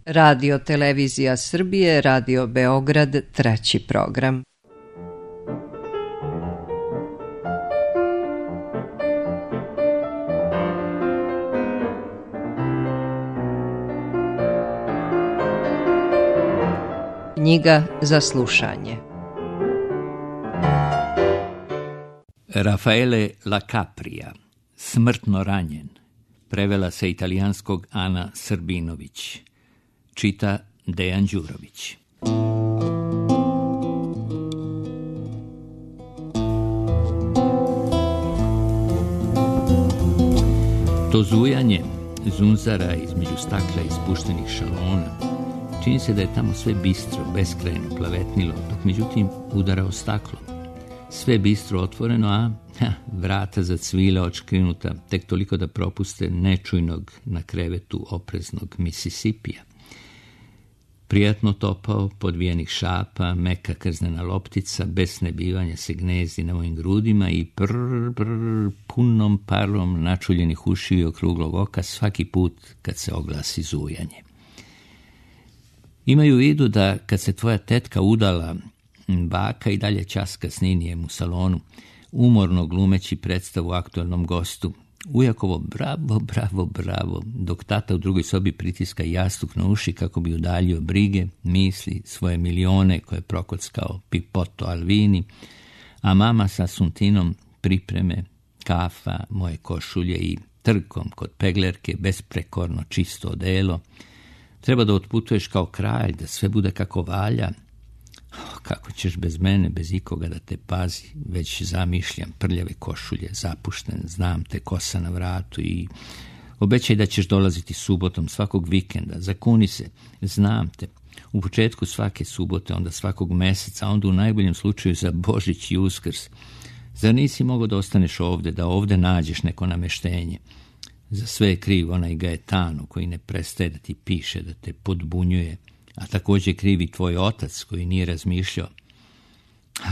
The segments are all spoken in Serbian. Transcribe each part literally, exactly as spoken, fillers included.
Radio Televizija Srbije, Radio Beograd, treći program. Knjiga za slušanje. Raffaele La Capria, Smrtno ranjen, prevela sa italijanskog Ana Srbinović, čita Dejan Đurović. To zujanje zunzara između stakla i spuštenih šalona, čini se da je tamo sve bistro, beskrajno plavetnilo, dok međutim udara o staklo. Sve bistro otvoreno, a ha, vrata zacvila očkrinuta, tek toliko da propuste nečujnog na krevetu opreznog Misisipija. Prijatno topao, podvijenih šapa, meka krznena loptica, bez snebivanja se gnezdi na mojim grudima i prr, prr, punom parom načuljenih ušiju i okruglog oka svaki put kad se oglasi zujanje. Imaju u vidu da kad se tvoja tetka udala, baka i dalje ćaska s Ninijem u salonu, umorno glumeći predstavu aktualnom gostu. Ujakovo bravo, bravo, bravo, dok tata u drugoj sobi pritiska jastuk na uši kako bi udaljio brige, misli, svoje milione koje prokockao Pipoto Alvini, a mama sa Suntinom pripreme, kafa, moje košulje i trkom kod peglerke besprekorno čisto odelo. Treba da otputuješ kao kralj, da sve bude kako valja. Oh, kako ćeš bez mene, bez ikoga da te pazi, već zamišljam prljave košulje, zapušten, znam te, kosa na vratu i obećaj da ćeš dolaziti subotom svakog vikenda, zakuni se, znam te, u početku svake subote, onda svakog meseca, onda u najboljem slučaju za Božić i Uskrs. Zar nisi mogao da ostaneš ovde, da ovde nađeš neko nameštenje? Za sve je kriv onaj Gaetano koji ne prestaje da ti piše, da te podbunjuje, a također krivi tvoj otac koji nije razmišljao.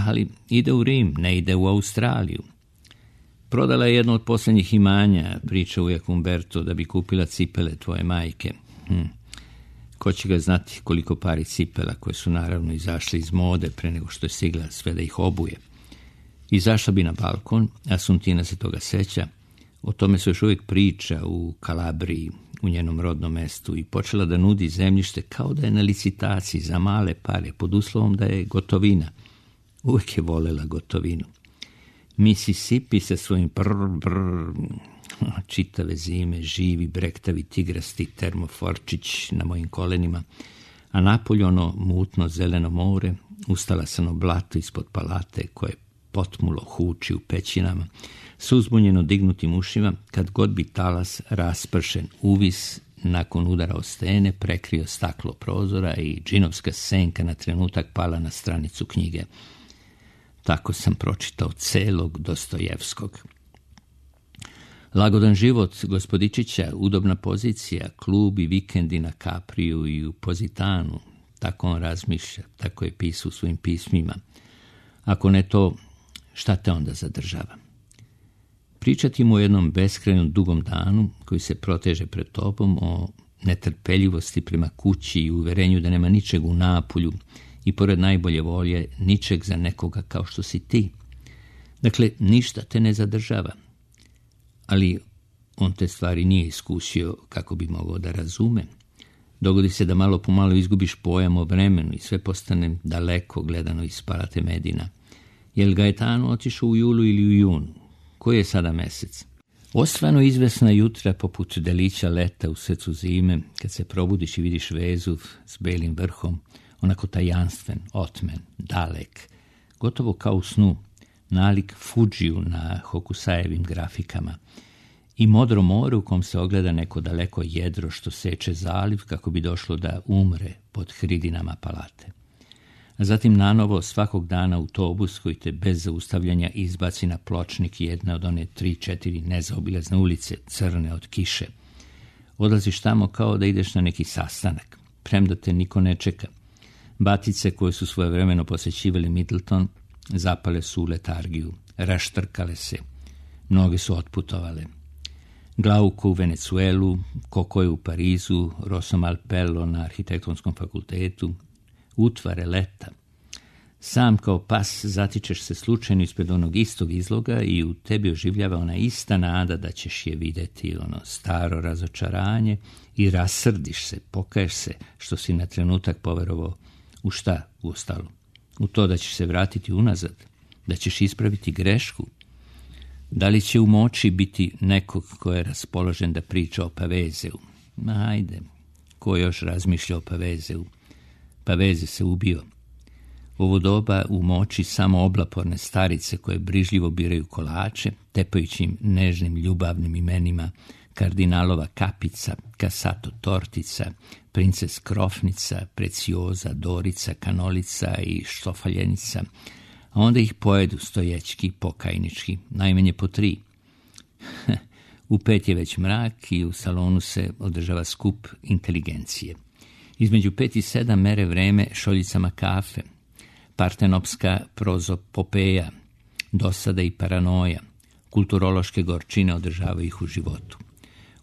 Ali ide u Rim, ne ide u Australiju. Prodala je jedno od posljednjih imanja, priča ujak Umberto, da bi kupila cipele tvoje majke. Hm. Ko će ga znati koliko pari cipela, koje su naravno izašle iz mode pre nego što je stigla sve da ih obuje. Izašla bi na balkon, a Suntina se toga seća. O tome se još uvijek priča u Kalabriji, u njenom rodnom mestu, i počela da nudi zemljište kao da je na licitaciji za male pare, pod uslovom da je gotovina. Uvijek je volela gotovinu. Mississippi sa svojim prr, brr, čitave zime, živi, brektavi, tigrasti termoforčić na mojim kolenima, a napolje ono mutno zeleno more, ustalasano blato ispod palate koje potmulo huči u pećinama, s uzbunjeno dignutim ušima, kad god bi talas raspršen uvis nakon udara o stene prekrio staklo prozora i džinovska senka na trenutak pala na stranicu knjige. Tako sam pročitao celog Dostojevskog. Lagodan život gospodičića, udobna pozicija, klub i vikendi na Kapriju i u Pozitanu, tako on razmišlja, tako je pisao u svojim pismima. Ako ne to, šta te onda zadržava? Pričati mu o jednom beskrajnom dugom danu koji se proteže pred tobom, o netrpeljivosti prema kući i uverenju da nema ničeg u Napulju i pored najbolje volje ničeg za nekoga kao što si ti. Dakle, ništa te ne zadržava. Ali on te stvari nije iskusio kako bi mogao da razume. Dogodi se da malo po malo izgubiš pojam o vremenu i sve postane daleko gledano iz Palate Medina. Jel Gaetano otišao u julu ili u junu? Koji je sada mesec? Osvano izvesna jutra poput delića leta u srcu zime, kad se probudiš i vidiš Vezuv s belim vrhom, onako tajanstven, otmen, dalek, gotovo kao u snu, nalik Fudžiju na Hokusajevim grafikama, i modro more u kom se ogleda neko daleko jedro što seče zaliv kako bi došlo da umre pod hridinama palate. A zatim nanovo svakog dana autobus koji te bez zaustavljanja izbaci na pločnik jedne od one tri, četiri nezaobilazne ulice, crne od kiše. Odlaziš tamo kao da ideš na neki sastanak, premda te niko ne čeka. Batice koje su svojevremeno posećivali Middleton zapale su u letargiju, raštrkale se, mnoge su otputovale. Glauco u Venecuelu, Coco u Parizu, Rosso Malpelo na arhitektonskom fakultetu, utvare leta. Sam kao pas zatičeš se slučajno ispred onog istog izloga i u tebi oživljava ona ista nada da ćeš je vidjeti, ono staro razočaranje, i rasrdiš se, pokaješ se što si na trenutak poverovao u šta uostalo. U to da ćeš se vratiti unazad, da ćeš ispraviti grešku. Da li će u moći biti nekog ko je raspoložen da priča o Pavezeu? Ma ajde, ko još razmišlja o Pavezeu? Paveze se ubio. U ovo doba u moći samo oblaporne starice koje brižljivo biraju kolače, tepajući im nežnim ljubavnim imenima kardinalova kapica, kasato tortica, princes krofnica, precioza, dorica, kanolica i štofaljenica, a onda ih pojedu stojećki, pokajnički, najmanje po tri. U pet je već mrak i u salonu se održava skup inteligencije. Između pet i sedam mere vreme šoljicama kafe, partenopska prozopopeja, dosada i paranoja, kulturološke gorčine održavaju ih u životu.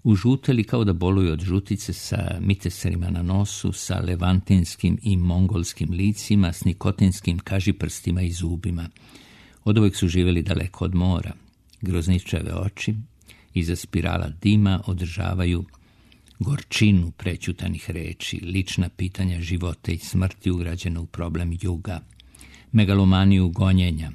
Užuteli kao da boluju od žutice sa miteserima na nosu, sa levantinskim i mongolskim licima, s nikotinskim kažiprstima i zubima. Od uvijek su živjeli daleko od mora. Grozničave oči iza spirala dima održavaju gorčinu prećutanih reči, lična pitanja života i smrti ugrađena u problem juga, megalomaniju gonjenja.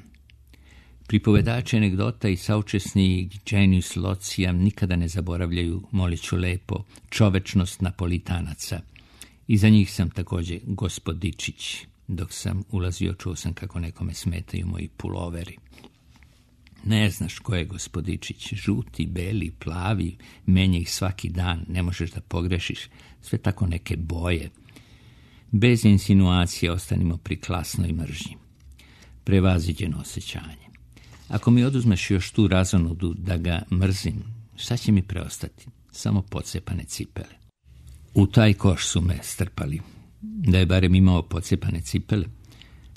Pripovedači anegdota i saučesni genius locija nikada ne zaboravljaju, moliću lepo, čovečnost Napolitanaca. Iza njih sam također gospodičić. Dok sam ulazio, čuo sam kako nekome smetaju moji puloveri. Ne znaš ko je gospodičić, žuti, beli, plavi, menja ih svaki dan, ne možeš da pogrešiš, sve tako neke boje. Bez insinuacije ostanimo pri klasnoj mržnji. Prevaziđeno osjećanje. Ako mi oduzmeš još tu razonodu da ga mrzim, šta će mi preostati? Samo pocepane cipele. U taj koš su me strpali. Da je barem imao pocepane cipele,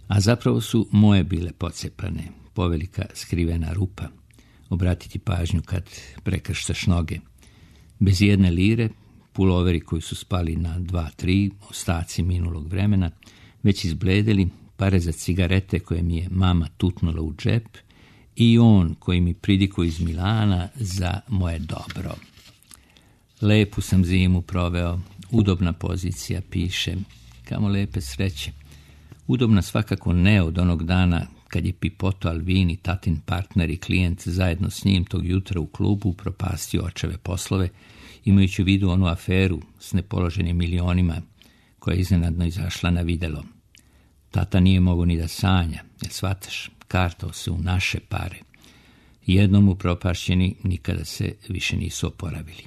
a zapravo su moje bile pocepane, povelika skrivena rupa. Obratiti pažnju kad prekrštaš noge. Bez jedne lire, puloveri koji su spali na dva, tri, ostaci minulog vremena, već izbledeli, pare za cigarete koje mi je mama tutnula u džep i on koji mi pridikuje iz Milana za moje dobro. Lepu sam zimu proveo, udobna pozicija, piše, kamo lepe sreće. Udobna svakako ne od onog dana kad je Pipoto Alvini, tatin partner i klijent, zajedno s njim tog jutra u klubu propastio očeve poslove, imajući u vidu onu aferu s nepoloženim milionima koja je iznenadno izašla na videlo. Tata nije mogao ni da sanja, jer shvataš, kartao se u naše pare. Jednom upropašćeni nikada se više nisu oporavili.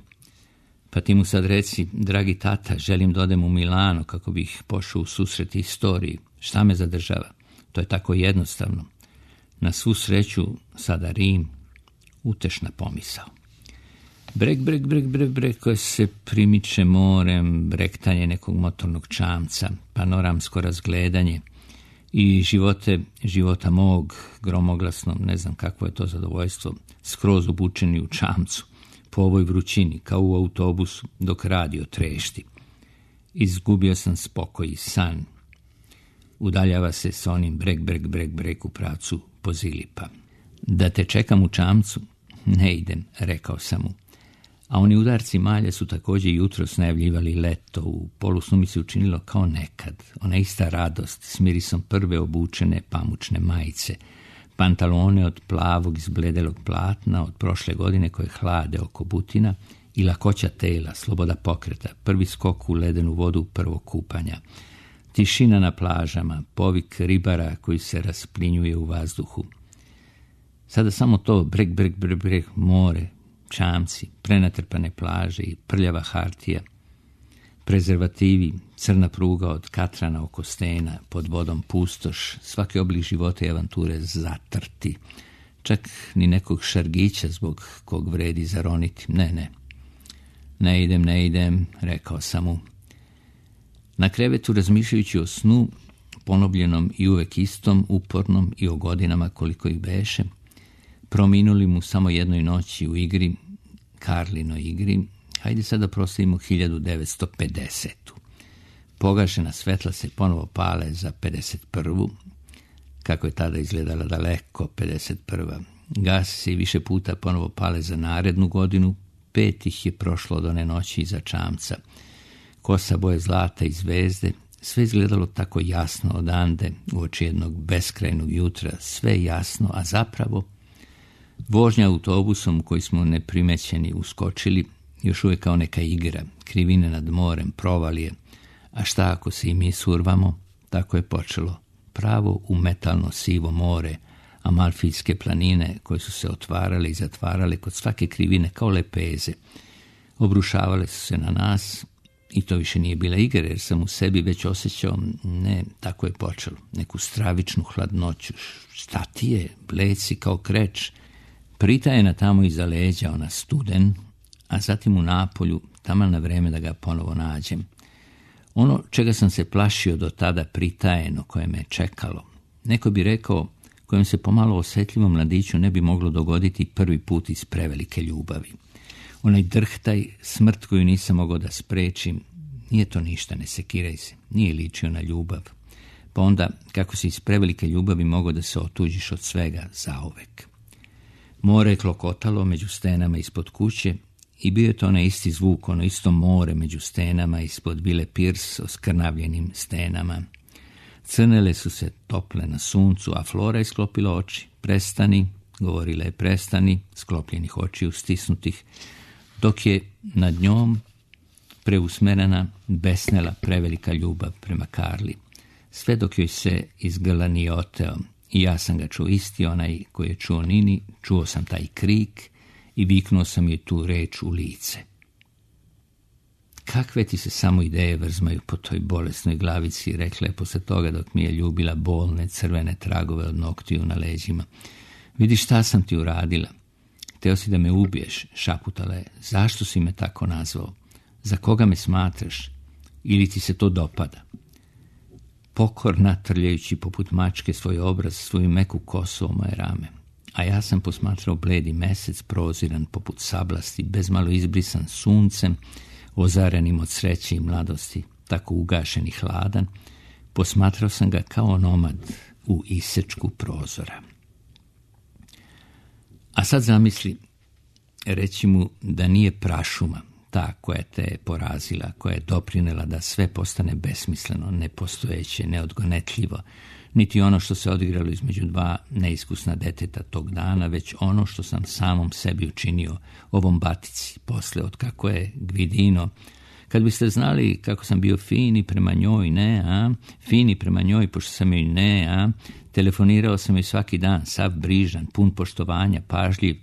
Pa ti mu sad reci, dragi tata, želim da odem u Milano kako bih pošao u susret istoriji. Šta me zadržava? To je tako jednostavno. Na svu sreću, sada Rim, utešna pomisao. Brek, brek, brek, brek, brek, koje se primiče morem, brektanje nekog motornog čamca, panoramsko razgledanje i živote, života mog, gromoglasno, ne znam kakvo je to zadovoljstvo, skroz obučeni u čamcu, po ovoj vrućini, kao u autobusu, dok radio trešti. Izgubio sam spokoj i san. Udaljava se s onim brek, brek, brek, brek u pravcu Pozilipa. Da te čekam u čamcu? Ne idem, rekao sam mu. A oni udarci malja su također jutros najavljivali leto. U polusnu mi se učinilo kao nekad. Ona ista radost s mirisom prve obučene pamučne majice, pantalone od plavog izbledelog platna od prošle godine koje hlade oko butina i lakoća tela, sloboda pokreta, prvi skok u ledenu vodu prvog kupanja. Tišina na plažama, povik ribara koji se rasplinjuje u vazduhu. Sada samo to, brek, brek, brek, brek, more, čamci, prenatrpane plaže i prljava hartija, prezervativi, crna pruga od katrana oko stena, pod vodom pustoš, svaki oblik života i avanture zatrti. Čak ni nekog šargića zbog kog vredi zaroniti. Ne, ne. Ne idem, ne idem, rekao sam mu. Na krevetu, razmišljajući o snu, ponovljenom i uvek istom, upornom i o godinama koliko ih beše, prominuli mu samo jednoj noći u igri, Karlinoj igri, hajde sada proslavimo hiljadu devetsto pedesetu. Pogašena svetla se ponovo pale za pedeset prvu. Kako je tada izgledala daleko pedeset prva. Gasi se i više puta ponovo pale za narednu godinu. Pet ih je prošlo od one noći iza čamca. Kosa boje zlata i zvezde, sve izgledalo tako jasno odande u oči jednog beskrajnog jutra, sve jasno, a zapravo vožnja autobusom u koji smo neprimećeni uskočili, još uvijek kao neka igra, krivine nad morem, provalije, a šta ako se i mi survamo, tako je počelo. Pravo u metalno sivo more, Amalfijske planine koje su se otvarale i zatvarale kod svake krivine kao lepeze. Obrušavale su se na nas i to više nije bila igra, jer sam u sebi već osjećao, ne, tako je počelo, neku stravičnu hladnoću. Šta ti je, bleci kao kreč, pritajena tamo iza leđa, ona studen, a zatim u napolju, taman na vreme da ga ponovo nađem. Ono čega sam se plašio do tada pritajeno, koje me čekalo, neko bi rekao, kojem se pomalo osjetljivom mladiću ne bi moglo dogoditi prvi put iz prevelike ljubavi. Onaj drhtaj, smrt koju nisam mogao da sprečim, nije to ništa, ne sekiraj se, nije ličio na ljubav. Pa onda, kako si iz prevelike ljubavi mogao da se otuđiš od svega zauvek. More je klokotalo među stenama ispod kuće i bio je to onaj isti zvuk, ono isto more među stenama ispod Vile Pierce oskrnavljenim stenama. Crnele su se tople na suncu, a Flora je sklopila oči. Prestani, govorila je prestani, sklopljenih očiju stisnutih, dok je nad njom preusmerena besnela prevelika ljubav prema Karli. Sve dok joj se iz grla nije oteo. I ja sam ga čuo, isti onaj koji je čuo Nini, čuo sam taj krik i viknuo sam joj tu reč u lice. Kakve ti se samo ideje vrzmaju po toj bolesnoj glavici, rekla je posle toga dok mi je ljubila bolne crvene tragove od noktiju na leđima. Vidi šta sam ti uradila. Hteo si da me ubiješ, šaputala je. Zašto si me tako nazvao? Za koga me smatraš? Ili ti se to dopada? Pokorna, trljajući poput mačke svoj obraz, svoju meku kosu o moje rame. A ja sam posmatrao bledi mesec, proziran poput sablasti, bezmalo izbrisan suncem, ozarenim od sreće i mladosti, tako ugašen i hladan. Posmatrao sam ga kao onomad u isečku prozora. A sad zamisli, reći mu da nije prašuma ta koja te je porazila, koja je doprinela da sve postane besmisleno, nepostojeće, neodgonetljivo, niti ono što se odigralo između dva neiskusna deteta tog dana, već ono što sam samom sebi učinio, ovom batici, posle od kako je Gvidino. Kad biste znali kako sam bio fini prema njoj, ne, a? Fini prema njoj, pošto sam joj ne, a? Telefonirao sam joj svaki dan, sav brižan, pun poštovanja, pažljiv.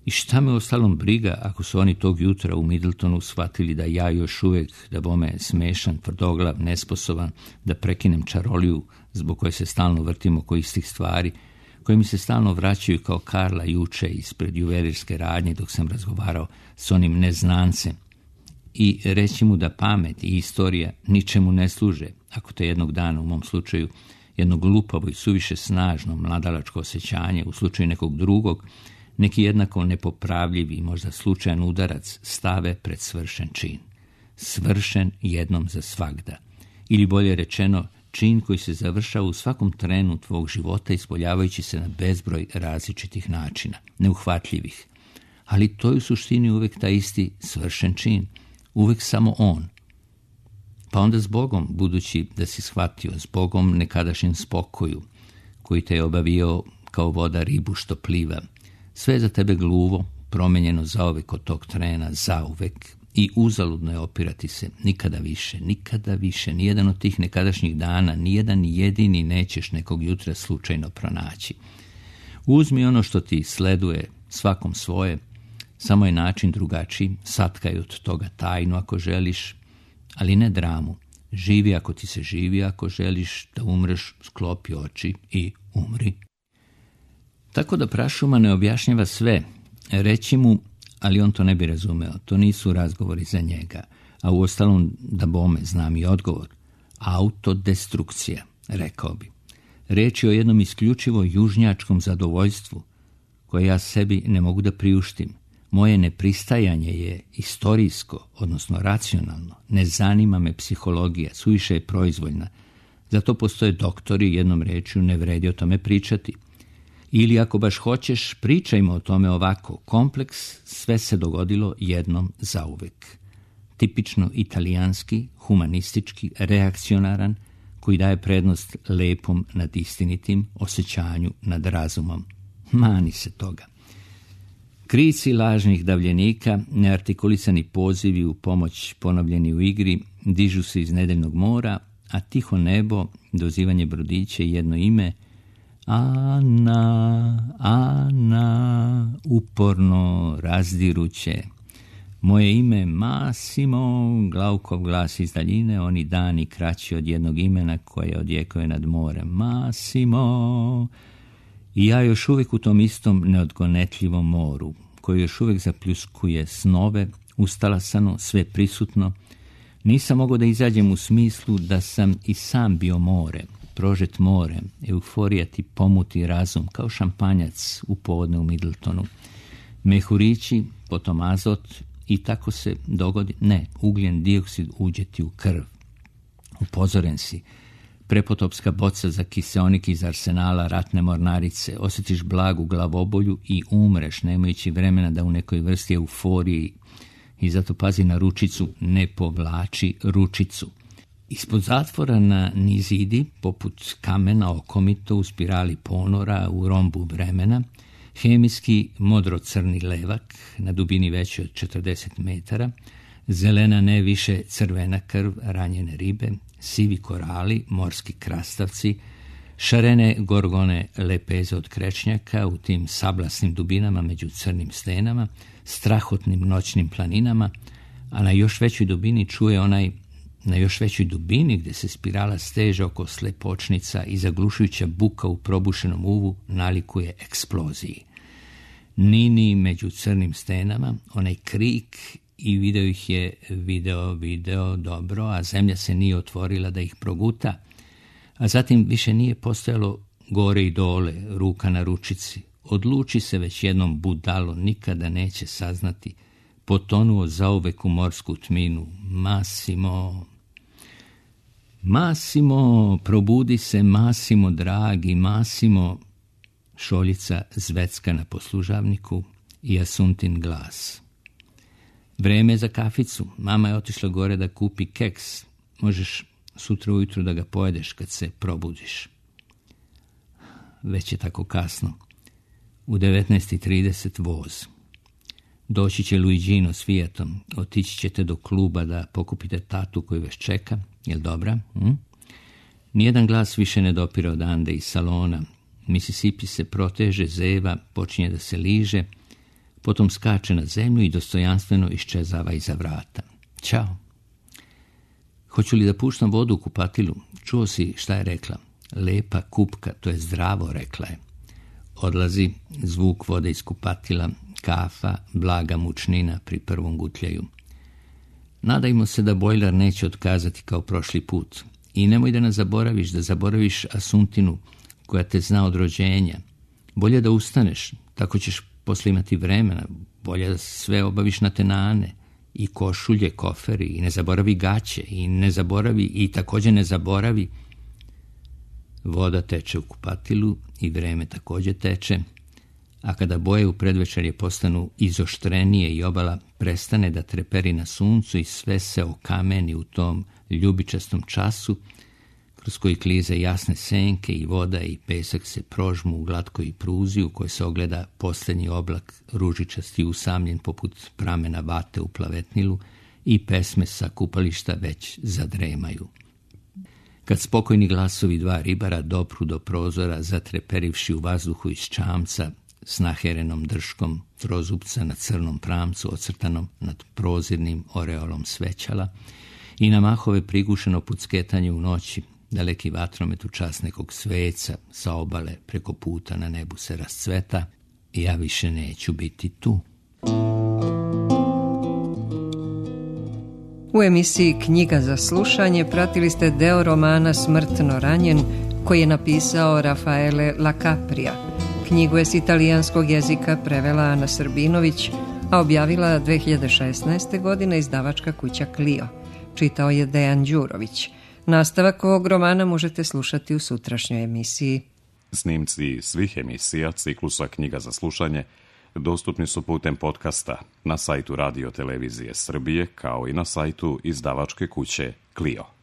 I šta me ostalom briga ako su oni tog jutra u Middletonu shvatili da ja još uvijek, da bome smešan, tvrdoglav, nesposoban, da prekinem čaroliju zbog koje se stalno vrtim oko istih stvari, koje mi se stalno vraćaju kao Karla juče ispred juvelirske radnje dok sam razgovarao s onim neznancem. I reći mu da pamet i istorija ničemu ne služe, ako te jednog dana, u mom slučaju, jedno glupavo i suviše snažno mladalačko osjećanje, u slučaju nekog drugog, neki jednako nepopravljivi i možda slučajan udarac stave pred svršen čin. Svršen jednom za svagda. Ili bolje rečeno, čin koji se završava u svakom trenu tvog života ispoljavajući se na bezbroj različitih načina, neuhvatljivih. Ali to je u suštini uvek taj isti svršen čin. Uvek samo on. Pa onda s Bogom, budući da si shvatio, s Bogom nekadašnjem spokoju, koji te je obavio kao voda ribu što pliva, sve je za tebe gluvo, promenjeno zauvek od tog trena, zauvek, i uzaludno je opirati se, nikada više, nikada više, nijedan od tih nekadašnjih dana, nijedan jedini nećeš nekog jutra slučajno pronaći. Uzmi ono što ti sleduje, svakom svoje, samo je način drugačiji, satkaj od toga tajnu ako želiš, ali ne dramu. Živi ako ti se živi, ako želiš da umreš, sklopi oči i umri. Tako da prašuma ne objašnjava sve, reći mu, ali on to ne bi razumeo, to nisu razgovori za njega, a uostalom da bome znam i odgovor. Autodestrukcija, rekao bi. Reč je o jednom isključivo južnjačkom zadovoljstvu, koje ja sebi ne mogu da priuštim, Moje nepristajanje je istorijsko, odnosno racionalno. Ne zanima me psihologija, suviše je proizvoljna. Zato postoje doktori, jednom rečju ne vredi o tome pričati. Ili ako baš hoćeš, pričajmo o tome ovako. Kompleks sve se dogodilo jednom zauvek. Tipično italijanski, humanistički, reakcionaran, koji daje prednost lepom nad istinitim, osjećanju nad razumom. Mani se toga. Krici lažnih davljenika, neartikulisani pozivi u pomoć ponovljeni u igri, dižu se iz nedeljnog mora, a tiho nebo, dozivanje brodića i jedno ime, Ana, Ana, uporno, razdiruće. Moje ime Massimo, Glaukov glas iz daljine, oni dani kraći od jednog imena koje odjekuje nad morem. Massimo. I ja još uvijek u tom istom neodgonetljivom moru, koji još uvijek zapljuskuje snove, ustalasano, sve prisutno. Nisam mogao da izađem u smislu da sam i sam bio more, prožet morem, euforija ti pomuti razum, kao šampanjac u povodne u Middletonu. Mehurići, potom azot i tako se dogodi, ne, ugljen dioksid uđe ti u krv. Upozoren si, prepotopska boca za kiseonik iz arsenala ratne mornarice, osjetiš blagu glavobolju i umreš, nemajući vremena da u nekoj vrsti euforiji, i zato pazi na ručicu, ne povlači ručicu. Ispod zatvora na nizidi, poput kamena okomito u spirali ponora u rombu vremena, hemijski modro-crni levak na dubini veće od četrdeset metara, zelena ne više crvena krv ranjene ribe, sivi korali, morski krastavci, šarene gorgone lepeze od krečnjaka u tim sablasnim dubinama među crnim stenama, strahotnim noćnim planinama, a na još većoj dubini čuje onaj, na još većoj dubini gdje se spirala steže oko slepočnica i zaglušujuća buka u probušenom uvu nalikuje eksploziji. Nini među crnim stenama, onaj krik i video ih je video, video, dobro, a zemlja se nije otvorila da ih proguta, a zatim više nije postojalo gore i dole, ruka na ručici. Odluči se već jednom, budalo, nikada neće saznati. Potonuo zauvek u morsku tminu. Massimo, Massimo, probudi se, Massimo, dragi, Massimo. Šoljica zvecka na poslužavniku i Asuntin glas. Vreme za kaficu. Mama je otišla gore da kupi keks. Možeš sutra ujutru da ga pojedeš kad se probudiš. Već je tako kasno. U devetnaest i trideset voz. Doći će Luigino s Fiatom. Otići ćete do kluba da pokupite tatu koju već čeka. Jel dobra? Hm? Nijedan glas više ne dopire odande iz salona. Mississippi se proteže, zeva, počinje da se liže, potom skače na zemlju i dostojanstveno iščezava iza vrata. Ćao. Hoću li da puštam vodu u kupatilu? Čuo si šta je rekla? Lepa kupka, to je zdravo, rekla je. Odlazi zvuk vode iz kupatila, kafa, blaga mučnina pri prvom gutljaju. Nadajmo se da bojler neće otkazati kao prošli put. I nemoj da nas zaboraviš, da zaboraviš Asuntinu, koja te zna od rođenja. Bolje da ustaneš, tako ćeš posle imati vremena. Bolje da sve obaviš na tenane. I košulje, koferi, i ne zaboravi gaće, i ne zaboravi, i također ne zaboravi. Voda teče u kupatilu i vreme također teče, a kada boje u predvečerje postanu izoštrenije i obala prestane da treperi na suncu i sve se okameni u tom ljubičastom času, kroz koji klize jasne senke i voda i pesak se prožmu u glatkoj pruzi u kojoj se ogleda posljednji oblak ružičasti usamljen poput pramena vate u plavetnilu i pesme sa kupališta već zadremaju. Kad spokojni glasovi dva ribara dopru do prozora, zatreperivši u vazduhu iz čamca s naherenom drškom trozupca na crnom pramcu ocrtanom nad prozirnim oreolom svećala i na mahove prigušeno pucketanje u noći, daleki vatromet u čas nekog sveca sa obale preko puta na nebu se rascveta i ja više neću biti tu. U emisiji Knjiga za slušanje pratili ste deo romana Smrtno ranjen koji je napisao Rafaele La Capria. Knjigu je s italijanskog jezika prevela Ana Srbinović, a objavila dve hiljade šesnaeste. godine izdavačka kuća Clio. Čitao je Dejan Đurović. Nastavak ovog romana možete slušati u sutrašnjoj emisiji. Snimci svih emisija ciklusa Knjiga za slušanje dostupni su putem podcasta na sajtu Radio Televizije Srbije kao i na sajtu izdavačke kuće Clio.